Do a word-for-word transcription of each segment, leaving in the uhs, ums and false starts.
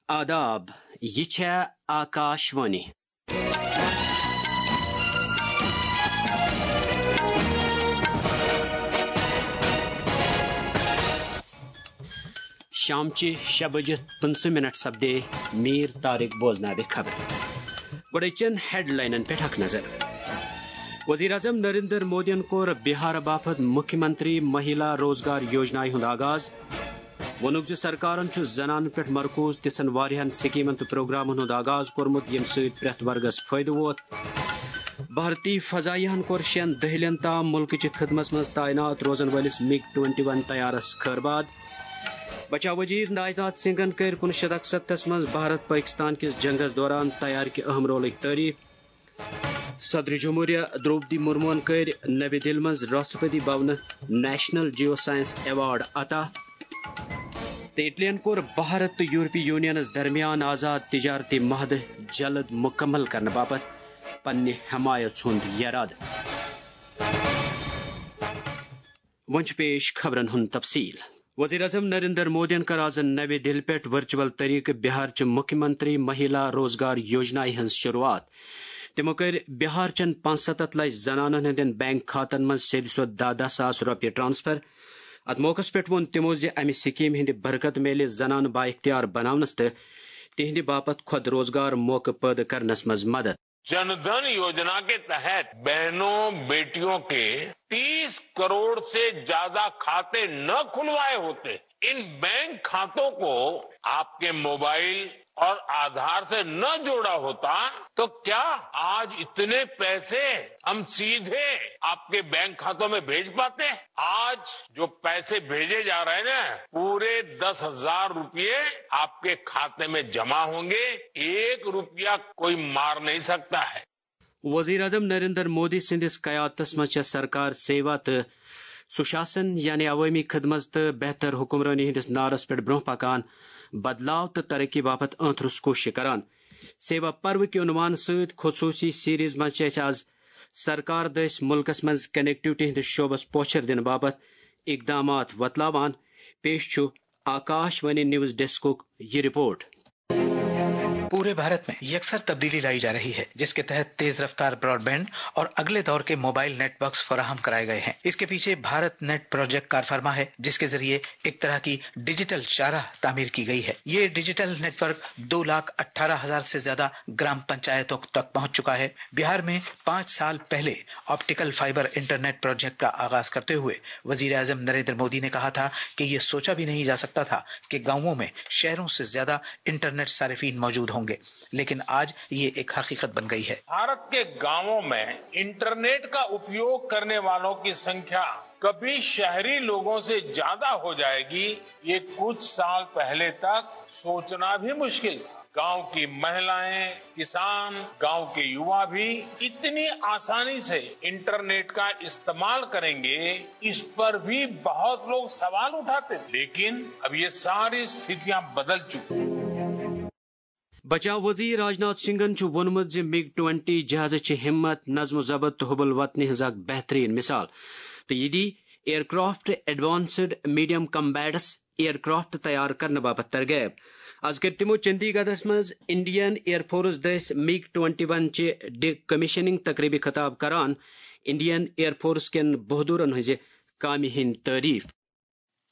آداب، یہِ چھےٚ آکاش وانی۔ شامچہِ شےٚ بجہِ پٕنٛژٕہ منٹ سپدے۔ میٖر طارق بوزناوِ خبرٕ۔ گۄڈٕ أزچٮ۪ن ہیڈلاینن پٮ۪ٹھ اکھ نظر۔ وزیر اعظم نریندر مودیَن کوٚر بہار باپتھ مکھیہ منتری مہیلا روزگار یوجنایہِ ہُنٛد آغاز۔ ووٚنُکھ زِ سرکارن چھُ زنانن پٮ۪ٹھ مرکوز تِژھن واریاہن سکیمن تہٕ پروگرامن ہُنٛد آغاز کوٚرمُت، ییٚمہِ سۭتۍ پرٛٮ۪تھ ورگس فٲیدٕ ووت۔ بھارتی فضائیہن کوٚر شٮ۪ن دٔہلٮ۪ن تام مُلکٕچہِ خدمتس منٛز تعینات روزن وٲلِس مِگ ٹُوَنٹی وَن طیارس خٲرباد۔ بچاو وزیر راجناتھ سنگھن کٔرۍ کُنوُہ شیٚتھ اکستتھس منٛز بھارت پٲکستان کِس جنگس دوران طیارٕ کہِ اہم رولٕچ تعریف۔ صدر جمہوریہ درٛوپدی مرموہن کٔرۍ نوی دِلہِ منٛز راشٹرپتی بھونہٕ نیشنل جیو سائنس ایوارڈ عطا۔ تہٕ اٹلین کوٚر بھارت تہٕ یورپی یونینس درمیان آزاد تجارتی معاہدٕ جلد مکمل کرنہٕ باپتھ پننہِ حمایژ ہُنٛد یرادٕ۔ وۄنۍ چھُ پیش خبرن ہُنٛد تفصیل۔ وزیر اعظم نریندر مودیَن کٔر آز نوی دِلہِ پٮ۪ٹھ ورچوئل طریقہٕ بہار چہِ مکھیہ منتری مہیلا روزگار یوجنایہِ ہٕنٛز شروعات۔ تِمو کٔرۍ بہار چٮ۪ن پانٛژستتھ لچھ زنانن ہٕنٛدٮ۪ن بینک کھاتن منٛز سیٚدِ سیوٚد دَہ دَہ ساس رۄپیہِ ٹرانسفر۔ اتھ موقعس پٮ۪ٹھ ووٚن تِمو زِ امہِ سکیمہِ ہٕنٛدِ برکتہٕ میلہِ زنانہٕ بااختیار بناونس تہٕ تِہنٛدِ باپتھ خود روزگار موقعہٕ پٲدٕ کرنس منٛز مدد۔ जन धन योजना के तहत बहनों, बेटियों के तीस करोड़ से ज्यादा खाते न खुलवाए होते, इन बैंक खातों को आपके मोबाइल और आधार से न जोड़ा होता, तो क्या आज इतने पैसे हम सीधे आपके बैंक खातों में भेज पाते? आज जो पैसे भेजे जा रहे हैं ना, पूरे दस हजार रुपये आपके खाते में जमा होंगे। एक रुपया कोई मार नहीं सकता है। وزیر اعظم نریندر مودی سٕنٛدِس قیادتس منٛز چھےٚ سرکار سیوا تہٕ سُشاسن، یعنی عوٲمی خدمت تہٕ بہتر حکمرٲنی ہٕنٛدِس نعرس پٮ۪ٹھ برٛونٛہہ پکان، بدلاو تہٕ ترقی باپتھ ٲنتھ روٚس کوٗششہٕ کران۔ سیوا پرو کہِ عنوان سۭتۍ خصوٗصی سیریز منٛز چھِ أسۍ آز سرکار دٔسۍ مُلکس منٛز کنیکٹیوٹی ہٕنٛدِس شعبس پوچھر دِنہٕ باپتھ اقدامات وۄتلاوان۔ پیش چھُ آکاش وانی نیوز ڈیسکُک یہِ رپورٹ۔ पूरे भारत में यकसर तब्दीली लाई जा रही है, जिसके तहत तेज रफ्तार ब्रॉडबैंड और अगले दौर के मोबाइल नेटवर्क्स फराहम कराए गए हैं। इसके पीछे भारत नेट प्रोजेक्ट कारफर्मा है, जिसके जरिए एक तरह की डिजिटल शाहराह तामीर की गई है। ये डिजिटल नेटवर्क दो लाख अठारह हजार से ज्यादा ग्राम पंचायतों तक पहुंच चुका है। बिहार में पाँच साल पहले ऑप्टिकल फाइबर इंटरनेट प्रोजेक्ट का आगाज करते हुए वजीर आजम नरेंद्र मोदी ने कहा था कि ये सोचा भी नहीं जा सकता था कि गांवों में शहरों से ज्यादा इंटरनेट सारिफीन मौजूद होंगे, लेकिन आज ये एक हकीकत बन गई है। भारत के गांवों में इंटरनेट का उपयोग करने वालों की संख्या कभी शहरी लोगों से ज्यादा हो जाएगी, ये कुछ साल पहले तक सोचना भी मुश्किल था। गांव की महिलाएं, किसान, गांव के युवा भी इतनी आसानी से इंटरनेट का इस्तेमाल करेंगे, इस पर भी बहुत लोग सवाल उठाते थे। लेकिन अब ये सारी स्थितियां बदल चुकी हैं। بچاو وزیر راجناتھ سنگھن چھُ ووٚنمُت زِ مِگ ٹُوَنٹی جہازٕ چھِ ہمت، نظم و ضبط تہٕ حب الوطنی ہٕنٛز اکھ بہترین مثال، تہٕ یہِ the aircraft advanced medium combats aircraft تیار کرنہٕ باپتھ ترغیب۔ از کٔر تِمو چندی گڑھس منٛز انڈین ایئر فورس دٔسۍ مِگ ٹُوَنٹی وَن چہِ ڈی کمیشننگ تقریبہِ خطاب کران انڈین ایئر فورس کٮ۪ن بہادرن ہٕنٛزِ کامہِ ہٕنٛدۍ تعریف۔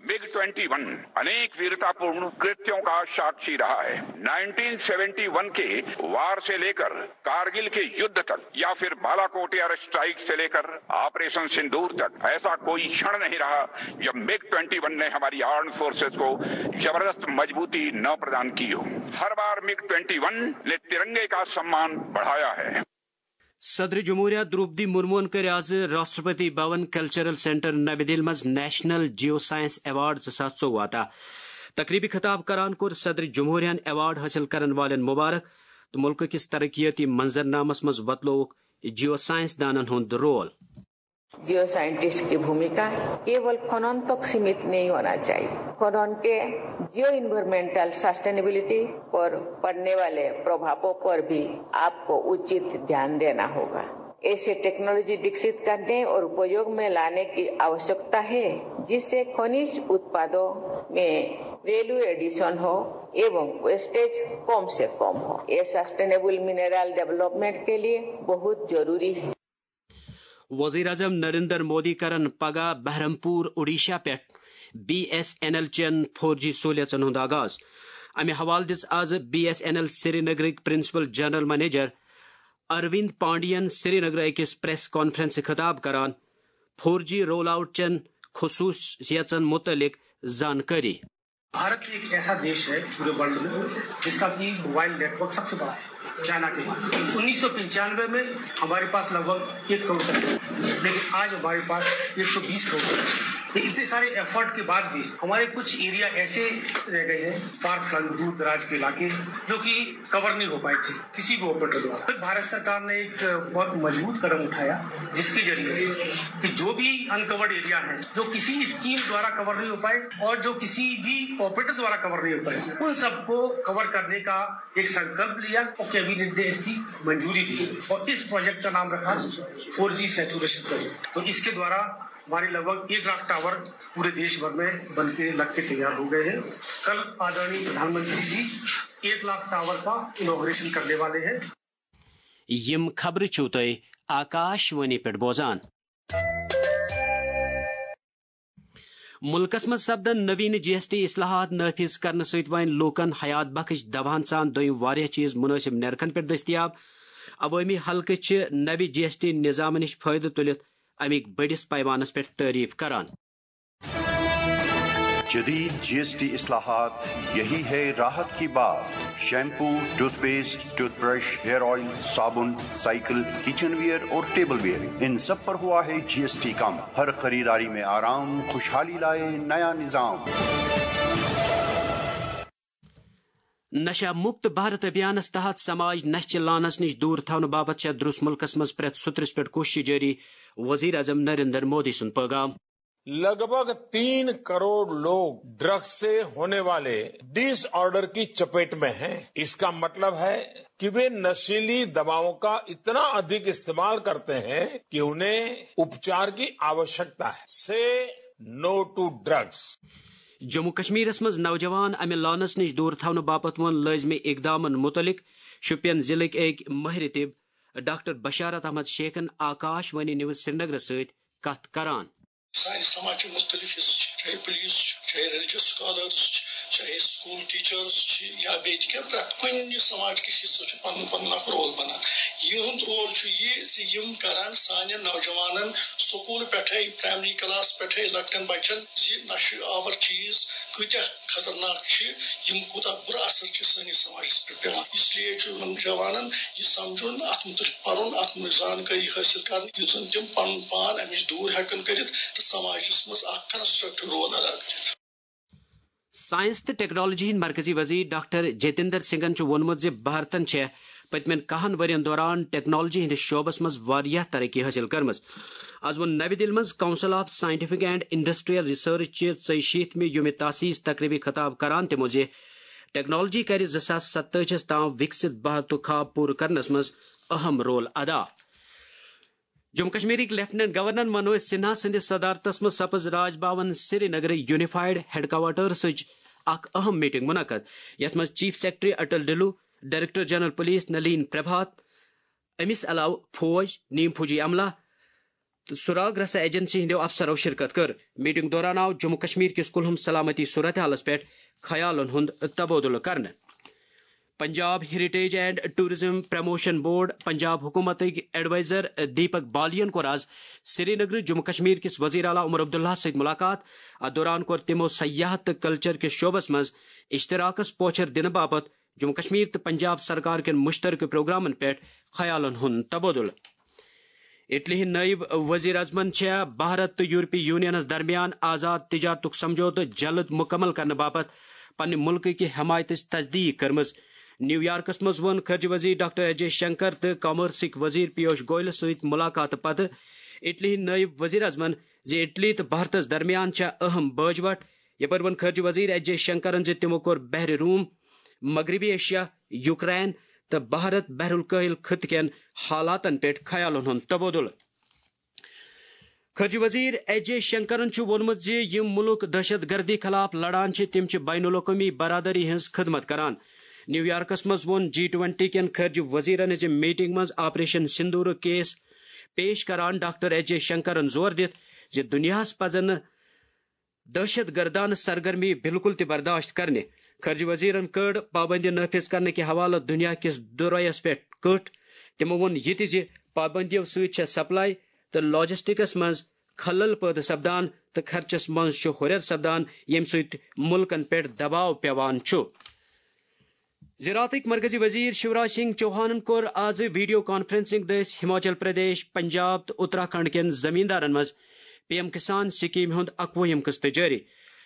मिग ट्वेंटी वन अनेक वीरतापूर्ण कृत्यों का साक्षी रहा है। नाइनटीन सेवेंटी वन के वार से लेकर कारगिल के युद्ध तक, या फिर बालाकोट एयर स्ट्राइक से लेकर ऑपरेशन सिंदूर तक, ऐसा कोई क्षण नहीं रहा जब मिग ट्वेंटी वन ने हमारी आर्म्ड फोर्सेज को जबरदस्त मजबूती न प्रदान की हो। हर बार मिग ट्वेंटी वन ने तिरंगे का सम्मान बढ़ाया है। صدر جمہوریہ درٛوپدی مرموہن کٔرۍ آز راشٹرپتی بھون کلچرل سینٹر نوی دِلہِ منٛز نیشنل جیو سائنس ایوارڈ زٕ ساس ژوٚوُہ عطا۔ تقریبہِ خطاب کران کوٚر صدر جمہوریہن ایوارڈ حٲصِل کرن والٮ۪ن مبارک تہٕ مُلکہٕ کِس ترقیٲتی منظرنامس منٛز وۄتلووُکھ جیو سائنس دانن ہُنٛد رول۔ जियो साइंटिस्ट की भूमिका केवल खनन तक सीमित नहीं होना चाहिए। खनन के जियो इन्वायरमेंटल सस्टेनेबिलिटी पर पड़ने वाले प्रभावों पर भी आपको उचित ध्यान देना होगा। ऐसे टेक्नोलॉजी विकसित करने और उपयोग में लाने की आवश्यकता है, जिससे खनिज उत्पादों में वैल्यू एडिशन हो एवं वेस्टेज कम से कम हो। ये सस्टेनेबल मिनरल डेवलपमेंट के लिए बहुत जरूरी है। وزیر اعظم نریندر مودی کرن پگاہ بہرمپور اوڈیشہ پٮ۪ٹھ بی ایس این ایل چٮ۪ن فور جی سہولیژن ہُنٛد آغاز۔ امہِ حوالہٕ دِژ آز بی ایس این ایل سرینگرٕکۍ principal general manager Arvind Pandian سرینگرٕ أکِس پریس کانفرنسہِ خطاب کران فور جی رول آؤٹ چٮ۪ن خصوصیژن متعلق زانکٲری۔ भारत एक ऐसा देश है पूरे वर्ल्ड में जिसका कि मोबाइल नेटवर्क सबसे बड़ा है चाइना के बाद। उन्नीस सौ पंचानवे में हमारे पास लगभग एक करोड़ का नेटवर्क, लेकिन आज हमारे पास एक सौ बीस करोड़ का नेटवर्क। ये इतने सारे एफर्ट के बाद भी हमारे कुछ एरिया ऐसे रह गए हैं, फार फ्लंग, दूर दराज के इलाके, जो कि कवर नहीं हो पाए थे किसी भी ऑपरेटर द्वारा। फिर भारत सरकार ने एक बहुत मजबूत कदम उठाया, जिसके जरिए कि जो भी अनकवर्ड एरिया है, जो किसी स्कीम द्वारा कवर नहीं हो पाए और जो किसी भी ऑपरेटर द्वारा कवर नहीं हो पाए, उन सबको कवर करने का एक संकल्प लिया और कैबिनेट ने इसकी मंजूरी दी और इस प्रोजेक्ट का नाम रखा फोर जी सैचुरेशन प्रोजेक्ट। तो इसके द्वारा हमारे लगभग एक लाख टावर पूरे देश भर में बन के लग के तैयार हो गए हैं। कल आदरणीय प्रधानमंत्री जी एक लाख टावर का इनॉग्रेशन करने वाले हैं। یِم خبرٕ چھِو تُہۍ آکاش وانی پٮ۪ٹھ بوزان۔ مُلکَس منٛز سپدن نوین جی ایس ٹی اصلاحات نافذ کرنہٕ سۭتۍ وۄنۍ لوٗکَن حیات بخش دواہَن سان دوٚیِم واریاہ چیٖز مُنٲسِب نرخن پٮ۪ٹھ دٔستیاب۔ عوٲمی حلقہٕ چھِ نوِ جی ایس ٹی نظامہٕ نِش فٲیدٕ تُلِتھ اَمِکۍ بٔڑِس پیمانَس پٮ۪ٹھ تعریف کران۔ جدید جی ایس ٹی اصلاحات، یہی ہے راحت کی بات۔ Shampoo, toothpaste, toothbrush, hair oil, صابن، سائیکل، کچن ویئر اور ٹیبل ویئر، ان سب پر ہوا ہے جی ایس ٹی کم۔ ہر خریداری میں آرام، خوشحالی لائے نیا نظام۔ نشہ مکت بھارت ابھیانس تحت سماج نشہ چہ لعنس نش دور تھاونہٕ باپتھ چھےٚ درس ملکس منٛز پرٛٮ۪تھ سُترس پٮ۪ٹھ کوشش جٲری، وزیر اعظم نریندر مودی سُنٛد پیغام۔ लगभग तीन करोड़ लोग ड्रग्स से होने वाले डिसऑर्डर की चपेट में हैं। इसका मतलब है कि वे नशीली दवाओं का इतना अधिक इस्तेमाल करते हैं कि उन्हें उपचार की आवश्यकता है। से नो टू ड्रग्स। جموں کشمیرس منٛز نوجوان امہِ لعنس نش دور تھاونہٕ باپتھ ووٚن لٲزمی اقدامن متعلق شوپین ضلعٕکۍ أکۍ ماہر طب ڈاکٹر بشارت احمد شیخن آکاش وانی نیوز سرینگرس سۭتۍ کتھ کران۔ سانہِ سماجٕکۍ مُختٔلِف حصہٕ چھِ، چاہے پُلیٖس چھُ، چاہے ریلِجَس سکالٲرٕس چھِ، چاہے سکوٗل ٹیٖچٲرٕس چھِ، یا بیٚیہِ تہِ کینٛہہ، پرٛٮ۪تھ کُنہِ سماجکِس حصس چھُ پنُن پنُن اکھ رول بنان۔ یِہُنٛد رول چھُ یہِ زِ یِم کرن سانٮ۪ن نوجوانن سکوٗل پٮ۪ٹھے، پرایمری کلاس پٮ۪ٹھے لۄکٹٮ۪ن بچن زِ نشہٕ آور چیٖز کۭتیاہ خطرناک چھِ، یِم کوٗتاہ بُرٕ اثر چھِ سٲنِس سماجس پٮ۪ٹھ پٮ۪وان۔ اس لیے چھُ یِمن جوانن یہِ سمجھُن، اتھ مُتعلق پرُن، اتھ مُتعلق زانکٲری حٲصِل کرٕنۍ، یُتھ زن تِم پنُن پان امہِ نِش دوٗر ہٮ۪کن کٔرِتھ تہٕ سماجس منٛز اکھ کنسٹرکٹیو رول ادا کٔرِتھ۔ ساینس تہٕ ٹیکنالوجی ہٕنٛدۍ مرکزی وزیر ڈاکٹر جتیندر سنگھن چھُ ووٚنمُت زِ بھارتن چھےٚ پٔتمٮ۪ن کہن ؤرین دوران ٹیکنالوجی ہٕنٛدِس شعبس منٛز واریاہ ترقی حٲصِل کٔرمٕژ۔ از ووٚن نَوِ دِلہِ منٛز council of scientific and industrial research چہِ ژۄیہِ شیٖتھ مہِ یومِ تاسیس تقریبی خطاب کران تِمو زِ ٹیکنالوجی کرِ زٕ ساس ستٲجی ہس تام وکسِت بھارتُک خواب پوٗرٕ کرنس منٛز اہم رول ادا۔ جموں کشمیرٕکۍ لیفٹیننٹ گورنر منوج سنہا سٕنٛدِس صدارتس منٛز سپٕز راج بھون سرینگرٕ یونیفائیڈ ہیڈ کوارٹرسٕچ اکھ اہم میٹنگ منعقد، یتھ منٛز chief secretary Atal Dulloo, director general police Nalin Prabhat, أمِس علاوٕ فوج، نیم فوجی عملہ تہٕ سراغ رسا ایجنسی ہٕنٛدیو افسرو شرکت کٔر۔ میٹنگ دوران آو جموں کشمیر کِس کُلہُم سلامتی صورتحالس پٮ۪ٹھ خیالن ہُنٛد تبادلہٕ کرنہٕ۔ Punjab heritage and tourism promotion board Punjab حکومتٕکۍ ایڈوائزر دیپک بالین کوٚر آز سرینگرٕ جموں کشمیر کِس وزیر اعلیٰ عمر عبداللہ سۭتۍ ملاقات۔ اتھ دوران کوٚر تِمو سیاحت تہٕ کلچر کِس شعبس منٛز اشتراکس پوچھر دِنہٕ باپتھ جموں کشمیر تہٕ پنجاب سرکار کٮ۪ن مشترکہٕ پروگرامن پٮ۪ٹھ خیالن ہُنٛد تبادلہٕ۔ اٹلی ہٕنٛدۍ نٲیِب وزیر اعظمن چھےٚ بھارت تہٕ یورپی یونینس درمیان آزاد تجارتُک سمجھوتہٕ جلد مکمل کرنہٕ باپتھ پننہِ مُلکہٕ کہِ حمایتٕچ تصدیق کٔرمٕژ۔ نیویارکس منٛز ووٚن خارجہ وزیر ڈاکٹر ایس جے شنکر تہٕ کامرسٕکۍ وزیر پیوش گوئلس سۭتۍ ملاقاتہٕ پتہٕ اٹلی ہٕنٛدۍ نٲیِب وزیر اعظمن زِ اٹلی تہٕ بھارتس درمیان چھےٚ اہم باجوٹ۔ یپٲرۍ ووٚن خارجہ وزیر ایس جے شنکرن زِ تِمو کوٚر بحر روم، مغربی ایشیا، یوکرین تہٕ بھارت بحر الکاہل خطہٕ کٮ۪ن حالاتن پٮ۪ٹھ خیالن ہُنٛد تبادلہٕ۔ خارجہ وزیر ایس جے شنکرن چھُ ووٚنمُت زِ یِم مُلک دہشت گردی خلاف لڑان چھِ، تِم چھِ بین الاقوٲمی برادری ہٕنٛز خدمت کران۔ نیو یارکس منٛز ووٚن جی ٹوینٹی کٮ۪ن خارجہ وزیرن ہٕنٛزِ میٹنگ منٛز آپریشن سندورُک کیس پیش کران ڈاکٹر ایس جے شنکرن زور دِتھ زِ دُنیاہَس پزن نہٕ دہشت گردانہ سرگرمی بالکل تہِ برداشت کرنہِ۔ خارجہ وزیرن کٔڑ پابندی نافذ کرنہٕ کہِ حوالہٕ دُنیا کِس دُرٲیس پٮ۪ٹھ کٔٹ۔ تِمو ووٚن یہِ تہِ زِ پابندیو سۭتۍ چھےٚ سپلائی تہٕ لاجسٹکس منٛز خلل پٲدٕ سپدان تہٕ خرچس منٛز چھُ ہُرٮ۪ر سپدان، ییٚمہِ سۭتۍ مُلکن پٮ۪ٹھ دباو پٮ۪وان چھُ۔ زراعتٕکۍ مرکزی وزیر شیوراج سنگھ چوہانن کوٚر آز ویڈیو کانفرنسنگ دٔسۍ ہماچل پردیش، پنجاب تہٕ اتراکھنڈ کٮ۪ن زمیندارن منٛز پی ایم کسان سکیمہِ ہُنٛد اکوُہِم قسط جٲری۔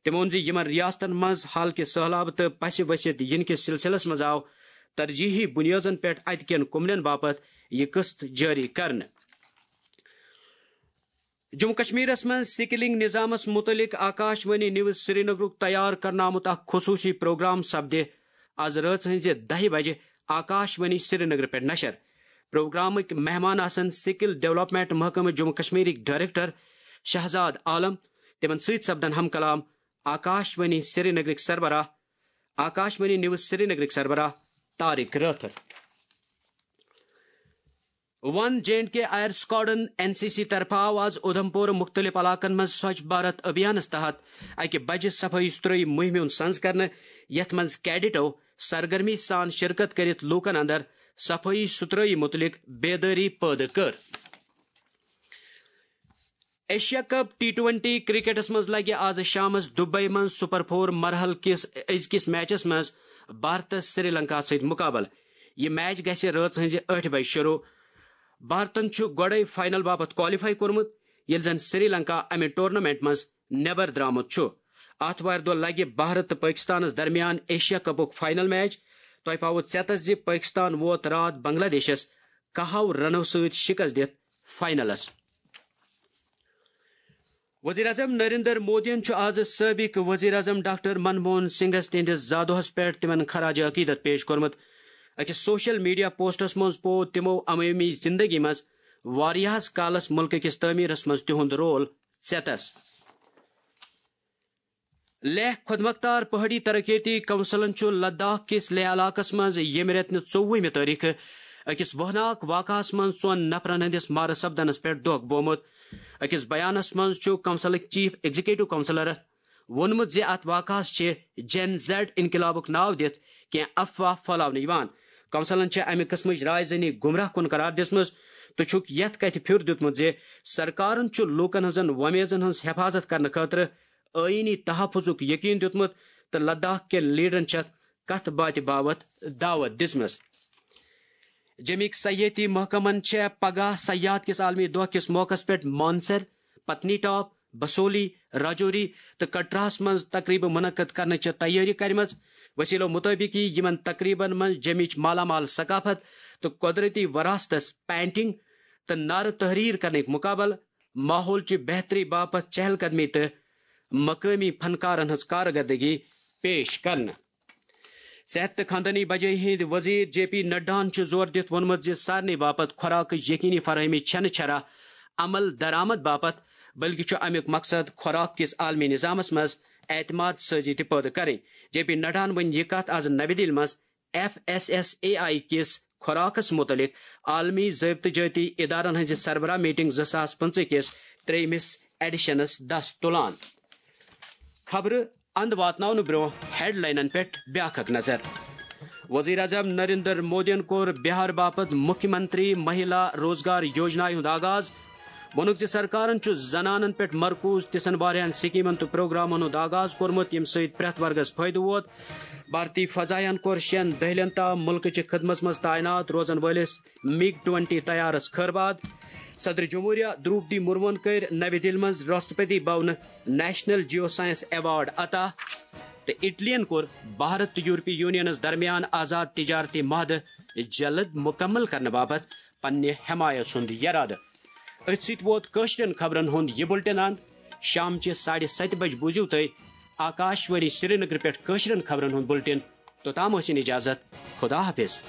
تٔمۍ ووٚن زِ یِمن ریاستن منٛز حال کہِ سٔہلاب تہٕ پسہِ ؤسِتھ یِنہٕ کِس سلسلس منٛز آو ترجیحی بُنیٲدن پٮ۪ٹھ اتہِ کٮ۪ن کُمنٮ۪ن باپتھ یہِ قسط جٲری کرنہٕ۔ جموں کشمیرس منٛز سکلنگ نظامس متعلق آکاش وانی نیوز سرینگرُک تیار کرنہٕ آمُت اکھ خصوصی پروگرام سپدِ آز رٲژ ہٕنزِ دَہہِ بجہِ آکاش وانی سرینگر پٮ۪ٹھ نشر۔ پروگرامٕکۍ مہمان آسن سکل ڈیولپمنٹ محکمہٕ جموں کشمیرٕکۍ ڈائریکٹر شہزاد عالم۔ تِمن سۭتۍ سپدن ہم کلام آکاش وانی سرینگرٕکۍ سربراہ آکاش وانی نیوز سرینگرٕکۍ سربراہ Tariq Rather. One J and K air squadron N C C طرفہٕ آو آز اُدھمپور مُختٔلِف علاقن منٛز سوچھ بھارت ابھیانس تحت اکہِ بجہِ صفٲیی ستھرٲیی مُہِمہِ ہُنٛد سنز کرنہٕ، یتھ منٛز کیڈٹو سرگرمی سان شرکت کٔرِتھ لوٗکن اندر صفٲیی ستھرٲیی مُتعلق بیدٲری پٲدٕ کٔر۔ ایشیا کپ ٹی ٹوینٹی کرکٹس منٛز لگہِ آز شامس دبئی منٛز سپر فور مرحلہٕ کِس أزکِس میچس منٛز بھارتس سری لنکا سۭتۍ مقابلہٕ۔ یہِ میچ گژھِ رٲژ ہٕنزِ ٲٹھِ بجہِ شروع۔ بھارتن چھُ گۄڈَے فائنل باپتھ کوالیفائی کوٚرمُت، ییٚلہِ زن سری لنکا امہِ ٹورنامنٹ منٛز نٮ۪بر درٛامُت چھُ۔ آتھوارِ دۄہ لگہِ بھارت تہٕ پٲکِستانس درمیان ایشیا کپُک فائنل میچ۔ تۄہہِ پاوو ژٮ۪تس زِ پٲکِستان ووت راتھ بنگلہ دیشس کاہو رنو سۭتۍ شکست دِتھ فائنلس۔ وزیر اعظم نریندر مودیَن چھُ آز سٲبِق وزیر اعظم ڈاکٹر منموہن سنگھس تِہنٛدِس زادوہس پٮ۪ٹھ تِمن خراج عقیدت پیش کوٚرمُت۔ أکِس سوشل میڈیا پوسٹس منٛز پوو تِمو عوٲمی زندگی منٛز واریاہس کالس مُلکہٕ کِس تعمیرس منٛز تِہُنٛد رول ژٮ۪تس۔ لیہہ خۄدمختار پہٲڑی ترقیتی کونسلن چھُ لداخ کِس لیہہ علاقس منٛز ییٚمہِ رٮ۪تہٕ نہِ ژوٚوُہمہِ تٲریخہٕ أکِس وہناک واقعس منٛز ژۄن نفرن ہٕنٛدِس مارٕ سپدنس پٮ۪ٹھ دۄکھ بومُت۔ أکِس بیانس منٛز چھُ کونسلٕکۍ چیف ایگزیکٹو کونسلر ووٚنمُت زِ اتھ واقعس چھِ جین زیڈ انقلابُک ناو دِتھ کینٛہہ افواہ پھٔلاونہٕ یِوان۔ کونسلن چھِ امہِ قٕسمٕچ راے زنی گمراہ کُن قرار دِژمٕژ تہٕ چھُکھ یتھ کتھِ پھیُر دیُتمُت زِ سرکارن چھُ لوٗکن ہٕنٛزن وۄمیزن ہٕنٛز حفاظت کرنہٕ خٲطرٕ آئینی تحفظُک یقین دیُتمُت تہٕ لداخ کٮ۪ن لیڈرن چھکھ کتھ باتھِ باوتھ دعوت دِژمٕژ۔ جیٚمِکۍ سیاحتی محکمن چھےٚ پگاہ سیاحت کِس عالمی دۄہ کِس موقعس پٮ۪ٹھ مانسر، پتنی ٹاپ، بسولی، راجوری تہٕ کٹراہس منٛز تقریبہٕ منعقد کرنٕچ تیٲری کرِمژ۔ وسیلو مطٲبق یِیہِ یِمن تقریبن منٛز جیٚمِچ مالا مال ثقافت تہٕ قۄدرتی وراثتس پینٹنگ تہٕ نعرٕ تحریر کرنٕکۍ مقابلہٕ، ماحول چہِ بہتری باپتھ چہل قدمی تہٕ مقٲمی فنکارن ہٕنٛز کارکردگی پیش کرنہٕ۔ صحت تہٕ خاندٲنی بجٲیی ہٕنٛدۍ وزیر جے پی نڈاہن چھُ زور دِتھ ووٚنمُت زِ سارنٕے باپتھ خوراکٕچ یقینی فراہمی چھنہٕ چھرا عمل درآمد باپتھ، بلکہِ چھُ امیُک مقصد خوراک کِس عالمی نظامس منٛز اعتماد سٲزی تہِ پٲدٕ کرٕنۍ۔ جے پی نڈاہن ؤنۍ یہِ کتھ از نوِ دِلہِ منٛز F S S A I کِس خوراکس مُتعلق عالمی ضٲبطہٕ جٲتی ادارن ہٕنٛزِ سربراہ میٹنگ زٕ ساس پٕنٛژٕہ کِس ترٛیٚیمِس ایڈیشنس دس تُلان۔ خبرٕ اند واتناونہٕ برونٛہہ ہیڈلاینن پٮ۪ٹھ بیاکھ اکھ نظر۔ وزیر اعظم نریندر مودیَن کوٚر بہار باپتھ مکھیہ منتری مہیلا روزگار یوجنا ہُنٛد آغاز۔ ووٚنُکھ زِ سرکارن چھُ زنانن پٮ۪ٹھ مرکوز تِژھن واریاہن سکیمن تہٕ پروگرامن ہُنٛد آغاز کوٚرمُت، ییٚمہِ سۭتۍ پرٛٮ۪تھ ورگس فٲیدٕ ووت۔ بھارتی فضائیہن کوٚر شٮ۪ن دٔہلٮ۪ن تام مُلکہٕ چہِ خدمژ منٛز تعینات روزن وٲلِس مِگ ٹُوَنٹی طیارس خٲرباد۔ صدر جمہوریہ دروپدی مرموہن کٔرۍ نوِ دِلہِ منٛز راشٹرپتی بھونہٕ نیشنل جیو سائنس ایوارڈ عطا۔ تہٕ اٹلین کوٚر بھارت تہٕ یورپی یونینس درمیان آزاد تجارتی معاہدٕ جلد مکمل کرنہٕ باپتھ پننہِ حمایت ہُنٛد یرادٕ۔ أتھۍ سۭتۍ ووت کٲشرٮ۪ن خبرن ہُنٛد یہِ بُلٹن اند۔ شامچہِ ساڑِ ستہِ بجہِ بوٗزِو تُہۍ آکاش وانی سرینگر پٮ۪ٹھ کٲشرٮ۪ن خبرن ہُنٛد بُلٹن۔ توٚتام ٲسِن اجازت۔ خدا حافظ۔